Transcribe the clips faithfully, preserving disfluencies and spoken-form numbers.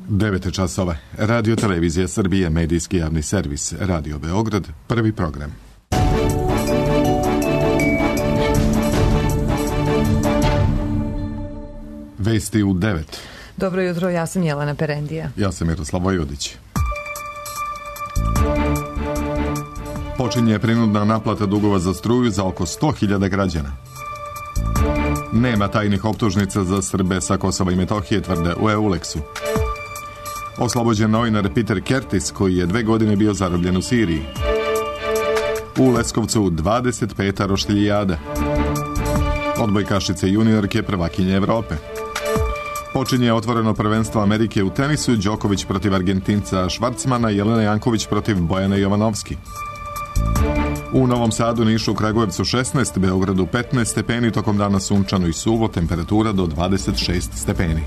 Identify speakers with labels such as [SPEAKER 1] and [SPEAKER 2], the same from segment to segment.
[SPEAKER 1] devet časova. Radio Televizija Srbije, medijski javni servis, Radio Beograd, prvi program. Vesti u devet.
[SPEAKER 2] Dobro jutro, ja sam Jelena Perendija.
[SPEAKER 1] Ja sam Miroslav Vojvodić. Počinje prinudna naplata dugova za struju za oko sto hiljada građana. Nema tajnih optužnica za Srbe sa Kosova i Metohije, tvrde u Euleksu. Oslobođen novinar Peter Kertis, koji je dve godine bio zarobljen u Siriji. U Leskovcu dvadeset peta roštiljijada. Odbojkašice juniorke prvakinje Evrope. Počinje otvoreno prvenstvo Amerike u tenisu, Đoković protiv Argentinca Švarcmana, Jelena Janković protiv Bojane Jovanovski. U Novom Sadu, Nišu, Kragujevcu šesnaest, Beogradu petnaest stepeni, tokom dana sunčano i suvo, temperatura do dvadeset šest stepeni.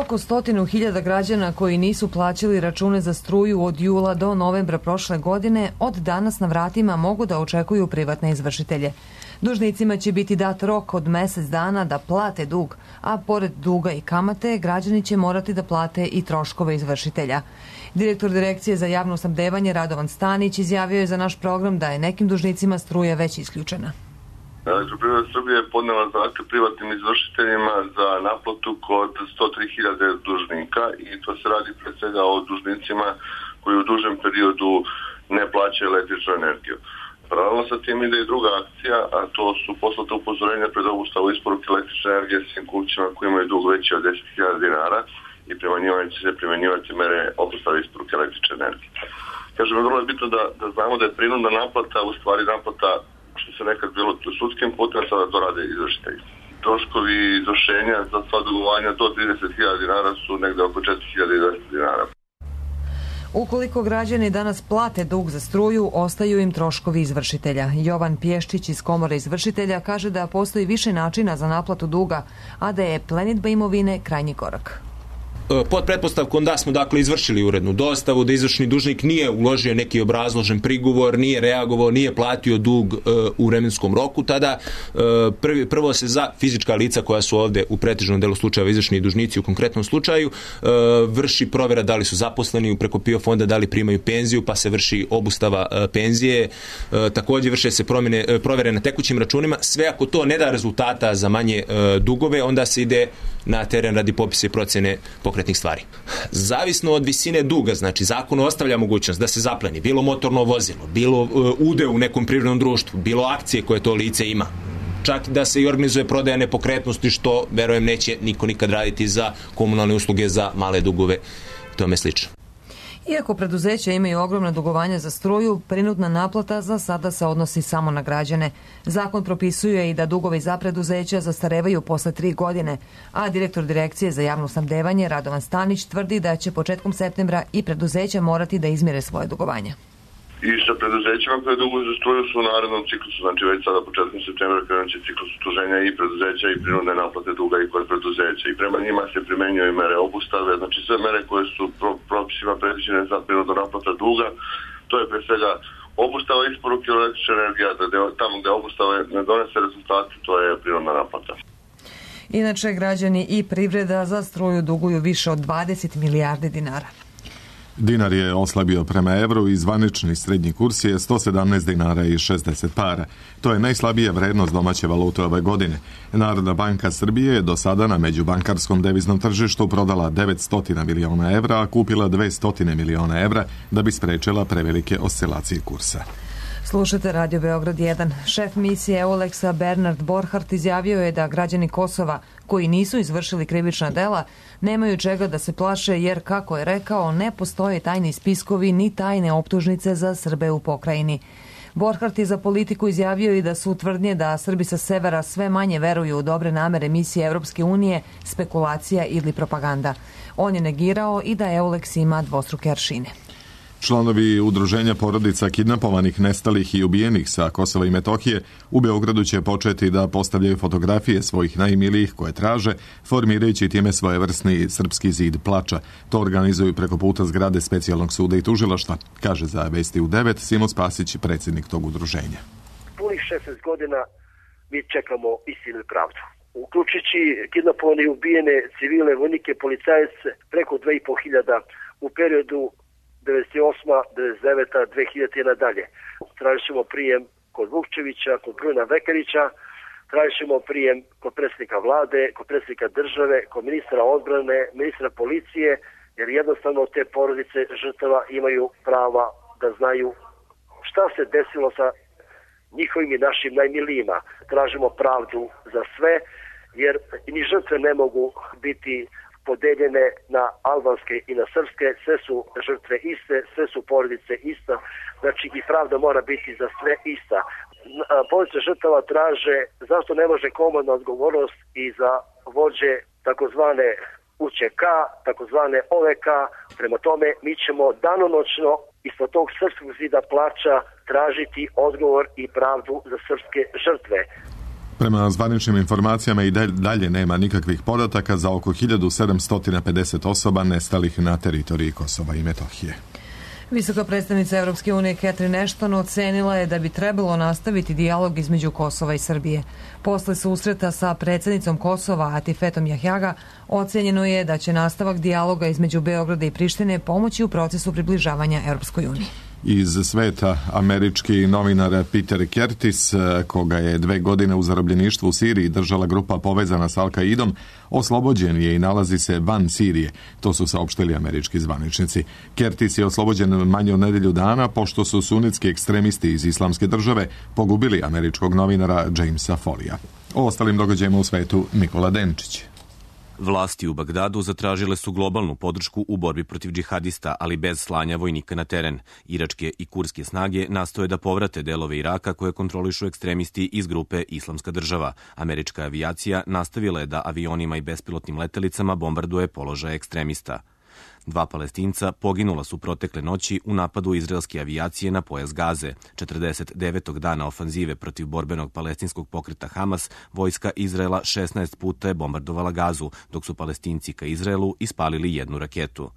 [SPEAKER 2] Oko stotinu hiljada građana koji nisu plaćali račune za struju od jula do novembra prošle godine od danas na vratima mogu da očekuju privatne izvršitelje. Dužnicima će biti dat rok od mesec dana da plate dug, a pored duga i kamate građani će morati da plate i troškove izvršitelja. Direktor Direkcije za javno snabdevanje Radovan Stanić izjavio je za naš program da je nekim dužnicima struja već isključena.
[SPEAKER 3] Elektroprivreda Srbije je podnela zahtev privatnim izvršiteljima za naplatu kod sto tri hiljade dužnika i to se radi pre svega o dužnicima koji u dužem periodu ne plaćaju električnu energiju. Paralelno sa tim ide i druga akcija, a to su poslata upozorenja pred obustavu isporuke električne energije svim kućama koji imaju dug veći od deset hiljada dinara i prema njima će se primjenjivati mere obustave isporuke električne energije. Kažem, vrlo je bitno da, da znamo da je prinudna naplata u stvari naplata što se nekad bilo sudskim putem, sada to rade izvršitelji. Troškovi izvršenja za sva dugovanja do trideset hiljada dinara su negde oko četiri hiljade dvesta dinara.
[SPEAKER 2] Ukoliko građani danas plate dug za struju, ostaju im troškovi izvršitelja. Jovan Pješčić iz Komore izvršitelja kaže da postoji više načina za naplatu duga, a da je plenidba imovine krajnji korak.
[SPEAKER 4] Pod pretpostavkom da smo dakle izvršili urednu dostavu, da izvršni dužnik nije uložio neki obrazložen prigovor, nije reagovao, nije platio dug e, u vremenskom roku, tada e, prvi, prvo se za fizička lica koja su ovde u pretežnom delu slučajeva izvršni dužnici u konkretnom slučaju e, vrši provjera da li su zaposleni preko PIO fonda, da li primaju penziju, pa se vrši obustava e, penzije, e, također vrše se promjene, e, provjere na tekućim računima. Sve ako to ne da rezultata za manje e, dugove, onda se ide na teren radi popisa i procjene pokretnih stvari. Zavisno od visine duga, znači zakon ostavlja mogućnost da se zapleni bilo motorno vozilo, bilo uh, udeo u nekom privrednom društvu, bilo akcije koje to lice ima. Čak da se i organizuje prodaja nepokretnosti, što verujem neće niko nikad raditi za komunalne usluge, za male dugove i tome slično.
[SPEAKER 2] Iako preduzeća imaju ogromna dugovanja za struju, prinudna naplata za sada se odnosi samo na građane. Zakon propisuje i da dugovi za preduzeća zastarevaju posle tri godine, a direktor Direkcije za javno snabdevanje Radovan Stanić tvrdi da će početkom septembra i preduzeća morati da izmire svoje dugovanja.
[SPEAKER 3] I sa preduzećima koje duguju za struju su u narednom ciklusu, znači već sada početkom septembra krenut će ciklus utuženja i preduzeća i prinudne naplate duga i kod preduzeća i prema njima se primenjuju mere obustave, znači sve mere koje su pro, propisima predviđene za prinudnu naplata duga, to je pre svega obustava isporuke električne energije, da tamo gde obustave ne donese rezultate, to je prinudna naplata.
[SPEAKER 2] Inače, građani i privreda za struju duguju više od dvadeset milijardi dinara.
[SPEAKER 1] Dinar je oslabio prema evru i zvanični srednji kurs je sto sedamnaest dinara i šezdeset para. To je najslabija vrednost domaće valute ove godine. Narodna banka Srbije je do sada na međubankarskom deviznom tržištu prodala devetsto miliona evra, a kupila dvesta miliona evra da bi sprečila prevelike oscilacije kursa.
[SPEAKER 2] Slušate Radio Beograd jedan. Šef misije Euleksa Bernard Borhardt izjavio je da građani Kosova koji nisu izvršili krivična dela nemaju čega da se plaše jer, kako je rekao, ne postoje tajni spiskovi ni tajne optužnice za Srbe u pokrajini. Borhardt je za Politiku izjavio i da su tvrdnje da Srbi sa severa sve manje veruju u dobre namere misije Evropske unije spekulacija ili propaganda. On je negirao i da Euleks ima dvostruke aršine.
[SPEAKER 1] Članovi udruženja porodica kidnapovanih, nestalih i ubijenih sa Kosova i Metohije u Beogradu će početi da postavljaju fotografije svojih najmilijih koje traže, formirajući time svojevrsni srpski zid plača. To organizuju preko puta zgrade specijalnog suda i tužilaštva, kaže za Vesti u devet Simo Spasić, predsjednik tog udruženja.
[SPEAKER 5] Punih šesnaest godina mi čekamo istinu i pravdu. uključujući kidnapovane i ubijene civile, vojnike, policajce, preko dve i po hiljada u periodu devedeset osma, devedeset deveta, dve hiljadite i nadalje. Tražit ćemo prijem kod Vukčevića, kod Bruna Vekarića, tražit ćemo prijem kod predsjednika vlade, kod predsjednika države, kod ministra odbrane, ministra policije, jer jednostavno te porodice žrtava imaju prava da znaju šta se desilo sa njihovim i našim najmilijima. Tražimo pravdu za sve, jer ni žrtve ne mogu biti podeljene na albanske i na srpske, sve su žrtve iste, sve su porodice ista, znači i pravda mora biti za sve ista. Porodice žrtava traže zašto ne može komandna odgovornost i za vođe takozvane U Č K, takozvane O V K. Prema tome mi ćemo danonoćno ispod tog srpskog zida plača tražiti odgovor i pravdu za srpske žrtve.
[SPEAKER 1] Prema zvaničnim informacijama i dalje nema nikakvih podataka za oko hiljadu sedamsto pedeset osoba nestalih na teritoriji Kosova i Metohije.
[SPEAKER 2] Visoka predstavnica Europske unije Catherine Ashton ocenila je da bi trebalo nastaviti dijalog između Kosova i Srbije. Posle susreta sa predsjednicom Kosova Atifetom Jahjaga ocenjeno je da će nastavak dijaloga između Beograda i Prištine pomoći u procesu približavanja Europskoj uniji.
[SPEAKER 1] Iz sveta američki novinar Peter Curtis, koga je dve godine u zarobljeništvu u Siriji držala grupa povezana s Al-Kaidom, oslobođen je i nalazi se van Sirije. To su saopštili američki zvaničnici. Curtis je oslobođen manje od nedelju dana pošto su sunitski ekstremisti iz Islamske države pogubili američkog novinara Jamesa Folija. O ostalim događajima u svetu Nikola Denčić.
[SPEAKER 6] Vlasti u Bagdadu zatražile su globalnu podršku u borbi protiv džihadista, ali bez slanja vojnika na teren. Iračke i kurske snage nastoje da povrate delove Iraka koje kontrolišu ekstremisti iz grupe Islamska država. Američka avijacija nastavila je da avionima i bespilotnim letelicama bombarduje položaje ekstremista. Dva Palestinca poginula su protekle noći u napadu izraelske avijacije na pojas Gaze. četrdeset devetog dana ofanzive protiv borbenog palestinskog pokreta Hamas, vojska Izraela šesnaest puta je bombardovala Gazu, dok su Palestinci ka Izraelu ispalili jednu raketu.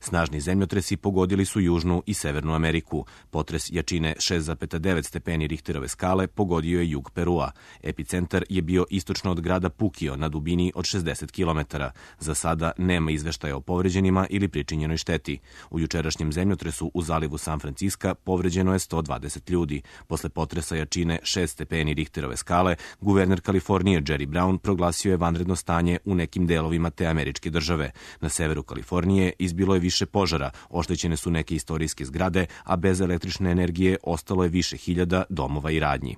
[SPEAKER 6] Snažni zemljotresi pogodili su Južnu i Severnu Ameriku. Potres jačine šest zarez devet stepeni Richterove skale pogodio je jug Perua. Epicentar je bio istočno od grada Pukio na dubini od šezdeset kilometara. Za sada nema izveštaja o povređenima ili pričinjenoj šteti. U jučerašnjem zemljotresu u zalivu San Franciska povređeno je sto dvadeset ljudi. Posle potresa jačine šest stepeni Richterove skale, guverner Kalifornije Jerry Brown proglasio je vanredno stanje u nekim delovima te američke države. Na severu Kalifornije izbilo je više više požara, oštećene su neke istorijske zgrade, a bez električne energije ostalo je više hiljada domova i radnji.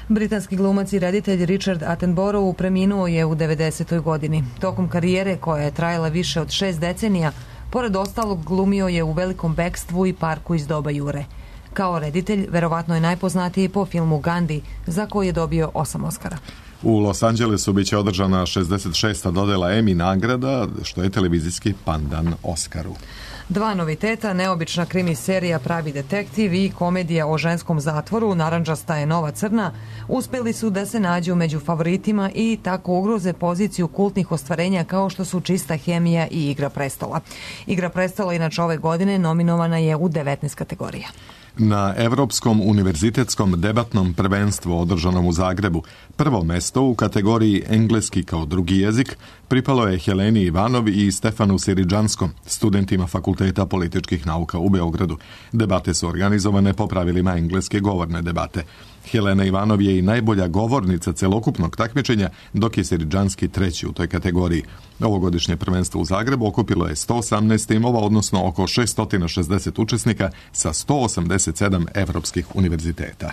[SPEAKER 2] Britanski glumac i reditelj Richard Attenborough preminuo je u devedesetoj godini. Tokom karijere, koja je trajala više od šest decenija, pored ostalog glumio je u Velikom bekstvu i Parku iz doba Jure. Kao reditelj, verovatno je najpoznatiji po filmu Gandhi, za koji je dobio osam Oskara.
[SPEAKER 1] U Los Angelesu biće održana šezdeset šesta dodela Emmy nagrada, što je televizijski pandan Oskaru.
[SPEAKER 2] Dva noviteta, neobična krimi serija Pravi detektiv i komedija o ženskom zatvoru Narandžasta je nova crna, uspeli su da se nađu među favoritima i tako ugroze poziciju kultnih ostvarenja kao što su Čista hemija i Igra prestola. Igra prestola inače ove godine nominovana je u devetnaest kategorija.
[SPEAKER 1] Na Evropskom univerzitetskom debatnom prvenstvu održanom u Zagrebu prvo mesto u kategoriji engleski kao drugi jezik pripalo je Heleni Ivanov i Stefanu Siridžanskom, studentima Fakulteta političkih nauka u Beogradu. Debate su organizovane po pravilima engleske govorne debate. Helena Ivanov je i najbolja govornica celokupnog takmičenja, dok je Siridžanski treći u toj kategoriji. Ovogodišnje prvenstvo u Zagrebu okupilo je sto osamnaest timova, odnosno oko šesto šezdeset učesnika sa sto osamdeset sedam evropskih univerziteta.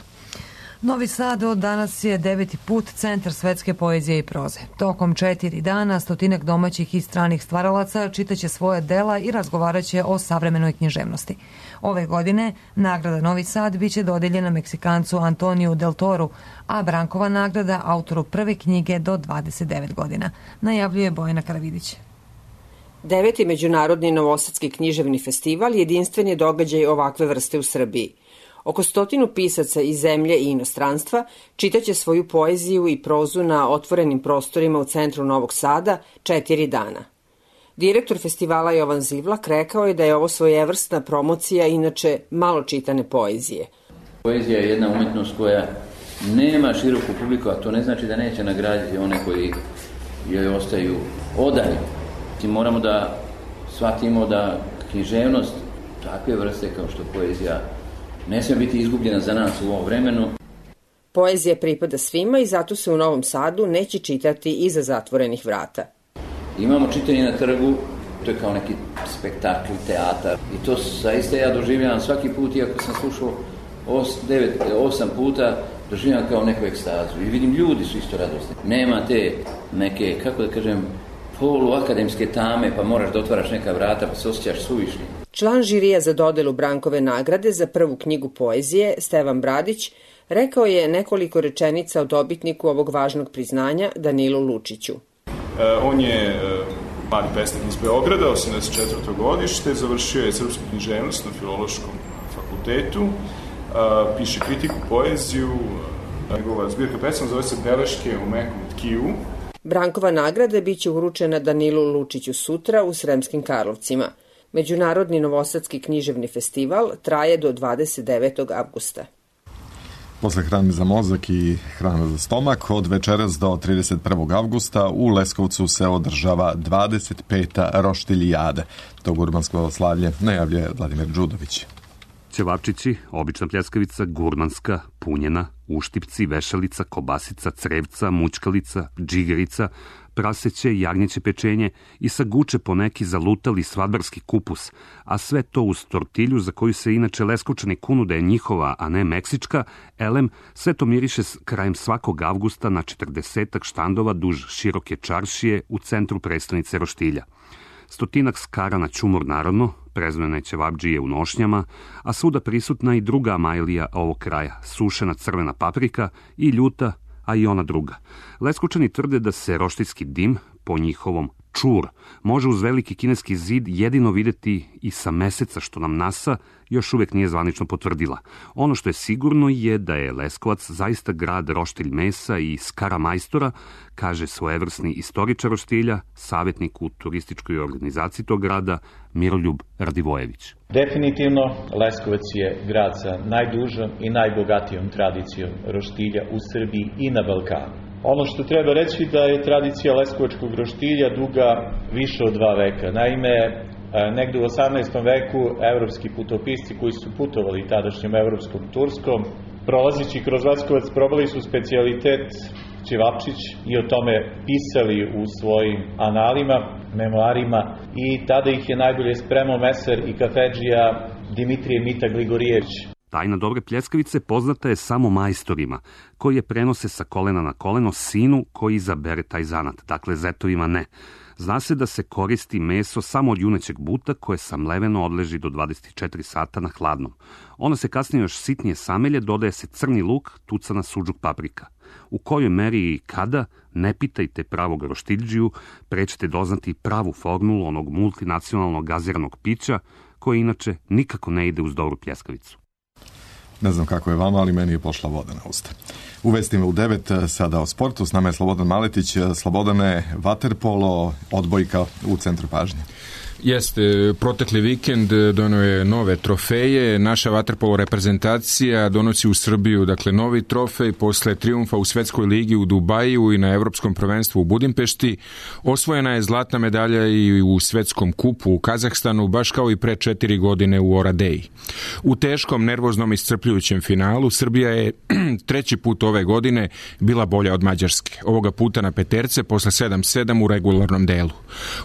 [SPEAKER 2] Novi Sad od danas je deveti put centar svetske poezije i proze. Tokom četiri dana stotinak domaćih i stranih stvaralaca čitaće svoje dela i razgovaraće o savremenoj književnosti. Ove godine nagrada Novi Sad biće dodeljena Meksikancu Antoniju Del Toru, a Brankova nagrada autoru prve knjige do dvadeset devet godina, najavljuje Bojana Karavidić.
[SPEAKER 7] Deveti međunarodni novosadski književni festival jedinstven je događaj ovakve vrste u Srbiji. Oko stotinu pisaca iz zemlje i inostranstva čitaće svoju poeziju i prozu na otvorenim prostorima u centru Novog Sada četiri dana. Direktor festivala Jovan Zivlak rekao je da je ovo svojevrsna promocija inače malo čitane poezije.
[SPEAKER 8] Poezija je jedna umetnost koja nema široku publiku, a to ne znači da neće nagraditi one koji joj ostaju odani. I moramo da shvatimo da književnost takve vrste kao što poezija ne smije biti izgubljena za nas u ovom vremenu.
[SPEAKER 7] Poezija pripada svima i zato se u Novom Sadu neće čitati iza zatvorenih vrata.
[SPEAKER 8] Imamo čitanje na trgu, to je kao neki spektakl, teatar. I to zaista ja doživljavam svaki put, iako sam slušao os, devet, osam puta, doživljavam kao neku ekstazu. I vidim, ljudi su isto radosni. Nema te neke, kako da kažem, poluakademske tame, pa moraš da otvaraš neka vrata, pa se osjećaš suvišni.
[SPEAKER 7] Član žirija za dodelu Brankove nagrade za prvu knjigu poezije, Stevan Bradić, rekao je nekoliko rečenica o dobitniku ovog važnog priznanja, Danilu Lučiću.
[SPEAKER 9] E, on je e, mladi pesnik iz Beograda, osamdeset četvrto godište, završio je srpsku književnost na Filološkom fakultetu, e, piše kritiku, poeziju, njegova zbirka pesama zove se Beleške u mekom tkivu.
[SPEAKER 7] Brankova nagrada biće uručena Danilu Lučiću sutra u Sremskim Karlovcima. Međunarodni novosadski književni festival traje do dvadeset devetog avgusta.
[SPEAKER 1] Posle hrane za mozak i hrana za stomak, od večeras do trideset prvog avgusta u Leskovcu se održava dvadeset peta roštiljijada. To gurmansko slavlje najavljuje Vladimir Đudović.
[SPEAKER 10] Ćevapčići, obična pljeskavica, gurmanska, punjena, uštipci, vešalica, kobasica, crevca, mućkalica, džigerica, praseće, jagnjeće pečenje i sa guče po neki zalutali svadbarski kupus, a sve to uz tortilju za koju se inače Leskovčani kunu da je njihova, a ne meksička, elem, sve to miriše krajem svakog avgusta na četrdesetak štandova duž široke čaršije u centru prestonice roštilja. Stotinak skara na čumur naravno, preznojene ćevabdžije u nošnjama, a svuda prisutna i druga amajlija ovog kraja, sušena crvena paprika i ljuta, a i ona druga. Leskovčani tvrde da se roštiljski dim, po njihovom čur, može uz veliki kineski zid jedino videti i sa meseca, što nam NASA još uvek nije zvanično potvrdila. Ono što je sigurno je da je Leskovac zaista grad roštilj mesa i skara majstora, kaže svojevrsni istoričar roštilja, savjetnik u turističkoj organizaciji tog grada, Miroljub Radivojević.
[SPEAKER 11] Definitivno, Leskovac je grad sa najdužom i najbogatijom tradicijom roštilja u Srbiji i na Balkanu. Ono što treba reći da je tradicija leskovačkog roštilja duga više od dva veka. Naime, negde u osamnaestom veku evropski putopisci koji su putovali tadašnjom evropskom Turskom, prolazići kroz Leskovac, probali su specijalitet ćevapčić i o tome pisali u svojim analima, memoarima, i tada ih je najbolje spremao meser i kafedžija Dimitrije Mita Gligorijević.
[SPEAKER 10] Tajna dobre pljeskavice poznata je samo majstorima, koji je prenose sa kolena na koleno sinu koji izabere taj zanat, dakle zetovima ne. Zna se da se koristi meso samo od junećeg buta koje samleveno odleži do dvadeset četiri sata na hladnom. Ono se kasnije još sitnije samelje, dodaje se crni luk, tucana suđuk paprika. U kojoj meri i kada, ne pitajte pravog roštiljđiju, pre ćete doznati pravu formulu onog multinacionalnog gaziranog pića, koje inače nikako ne ide uz dobru pljeskavicu.
[SPEAKER 1] Ne znam kako je vama, ali meni je pošla voda na usta. U vestima u devet, sada o sportu, s nama je Slobodan Maletić. Slobodane, vaterpolo, odbojka u centru pažnje.
[SPEAKER 12] Jeste, protekli vikend donio je nove trofeje. Naša vaterpolo reprezentacija donosi u Srbiju, dakle, novi trofej posle trijumfa u Svetskoj ligi u Dubaju i na Evropskom prvenstvu u Budimpešti. Osvojena je zlatna medalja i u Svetskom kupu u Kazahstanu, baš kao i pre četiri godine u Oradeji. U teškom, nervoznom i iscrpljujućem finalu Srbija je treći put ove godine bila bolja od Mađarske. Ovoga puta na peterce posle sedam sedam u regularnom delu.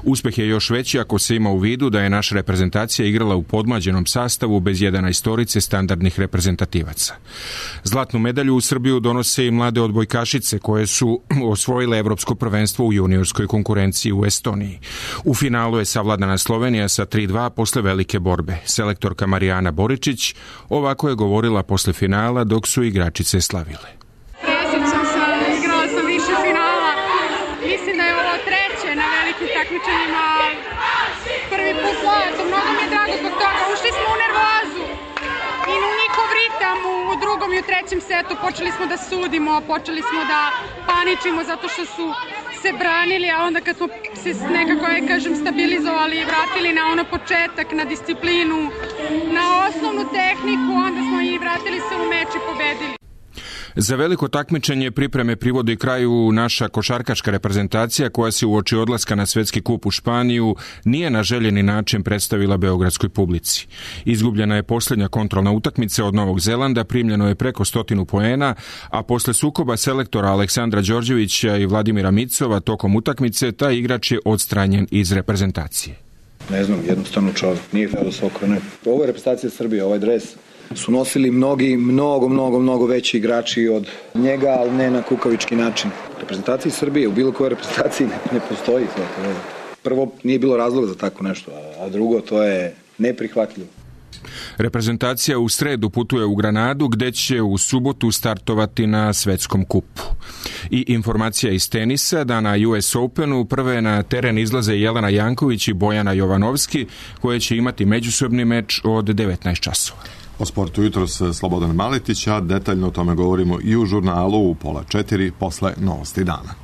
[SPEAKER 12] Uspeh je još veći ako se ima u vidu da je naša reprezentacija igrala u podmlađenom sastavu bez jedanaestorice standardnih reprezentativaca. Zlatnu medalju u Srbiju donose i mlade odbojkašice koje su osvojile evropsko prvenstvo u juniorskoj konkurenciji u Estoniji. U finalu je savladana Slovenija sa tri dva posle velike borbe. Selektorka Marijana Boričić ovako je govorila posle finala dok su igračice slavile.
[SPEAKER 13] Presjećam se, igrala sam više finala. Mislim da je ovo treće na velikim takmičenjima. Prvi put zlato, mnogo mi je drago zbog toga. Ušli smo u nervozu i u njihov ritam u drugom i u trećem setu. Počeli smo da sudimo, počeli smo da paničimo zato što su se branili, a onda kad smo se nekako, ja kažem, stabilizovali i vratili na ono početak, na disciplinu, na osnovnu tehniku, onda smo i vratili se u meč i pobedili.
[SPEAKER 12] Za veliko takmičenje pripreme privodi kraju naša košarkaška reprezentacija koja se uoči odlaska na svetski kup u Španiju nije na željeni način predstavila beogradskoj publici. Izgubljena je posljednja kontrolna utakmica od Novog Zelanda, primljeno je preko stotinu poena, a posle sukoba selektora Aleksandra Đorđevića i Vladimira Micova tokom utakmice taj igrač je odstranjen iz reprezentacije.
[SPEAKER 14] Ne znam, jednostavno čovjek nije htio da se okrene. Ovo je reprezentacija Srbije, ovaj dres su nosili mnogi, mnogo, mnogo, mnogo veći igrači od njega, ali ne na kukavički način. Reprezentaciji Srbije, u bilo kojoj reprezentaciji ne, ne postoji to. Prvo, nije bilo razloga za tako nešto, a drugo, to je neprihvatljivo.
[SPEAKER 12] Reprezentacija u sredu putuje u Granadu gdje će u subotu startovati na svetskom kupu. I informacija iz tenisa da na U S Openu prve na teren izlaze Jelena Janković i Bojana Jovanovski koje će imati međusobni meč od devetnaest časova.
[SPEAKER 1] O sportu jutros Slobodan Maletić, a detaljno o tome govorimo i u žurnalu u pola četiri posle novosti dana.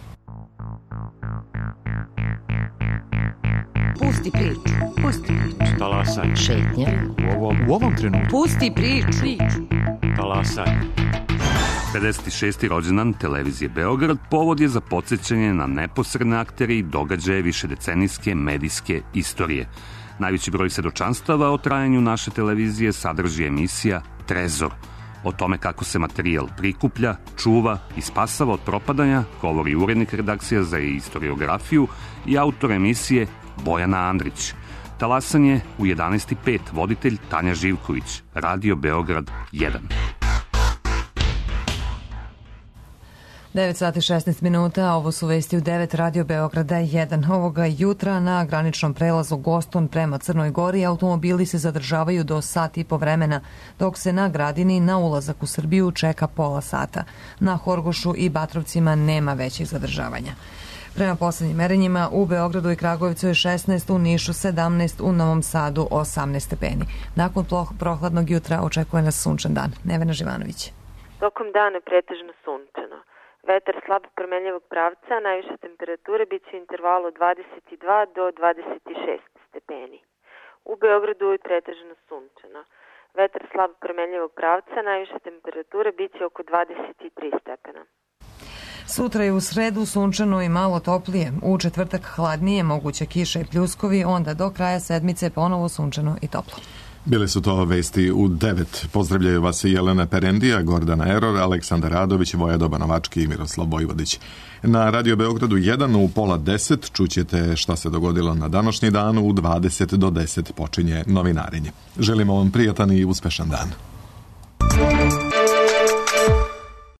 [SPEAKER 15] Pusti priču. Pusti priču.
[SPEAKER 16] Talasaj.
[SPEAKER 15] Šetnja.
[SPEAKER 16] U ovom, u ovom trenutku.
[SPEAKER 15] Pusti priču. priču.
[SPEAKER 16] Talasaj.
[SPEAKER 10] pedeset šesti rođendan televizije Beograd povod je za podsjećanje na neposredne aktere i događaje višedecenijske medijske istorije. Najveći broj svedočanstava o trajanju naše televizije sadrži emisija Trezor. O tome kako se materijal prikuplja, čuva i spasava od propadanja govori urednik redakcija za istoriografiju i autor emisije Bojana Andrić. Talasan je u jedanaest i pet voditelj Tanja Živković, Radio Beograd jedan.
[SPEAKER 2] devet sati šesnaest minuta, ovo su vesti u devet Radio Beograda jedan. Ovoga jutra na graničnom prelazu Goston prema Crnoj Gori automobili se zadržavaju do sat i po vremena, dok se na Gradini na ulazak u Srbiju čeka pola sata. Na Horgošu i Batrovcima nema većih zadržavanja. Prema poslednjim merenjima u Beogradu i Kragujevcu je šesnaest, u Nišu sedamnaest, u Novom Sadu osamnaest stepeni. Nakon prohladnog jutra očekuje nas sunčan dan. Nevena Živanović.
[SPEAKER 17] Tokom dana pretežno sunčano. Vetar slab promenljivog pravca, najviše temperature biće u intervalu dvadeset dva do dvadeset šest stepeni. U Beogradu je pretežno sunčano. Vetar slab promenljivog pravca, najviše temperature biće oko dvadeset tri stepena.
[SPEAKER 2] Sutra je u sredu sunčano i malo toplije. U četvrtak hladnije, moguće kiša i pljuskovi, onda do kraja sedmice ponovo sunčano i toplo.
[SPEAKER 1] Bile su to vesti u devet. Pozdravljaju vas i Jelena Perendija, Gordana Eror, Aleksandar Radović, Vojadoba Novački i Miroslav Vojvodić. Na Radio Beogradu jedan u pola deset čućete šta se dogodilo na današnji dan, u dvadeset do deset počinje novinarenje. Želimo vam prijatan i uspešan dan.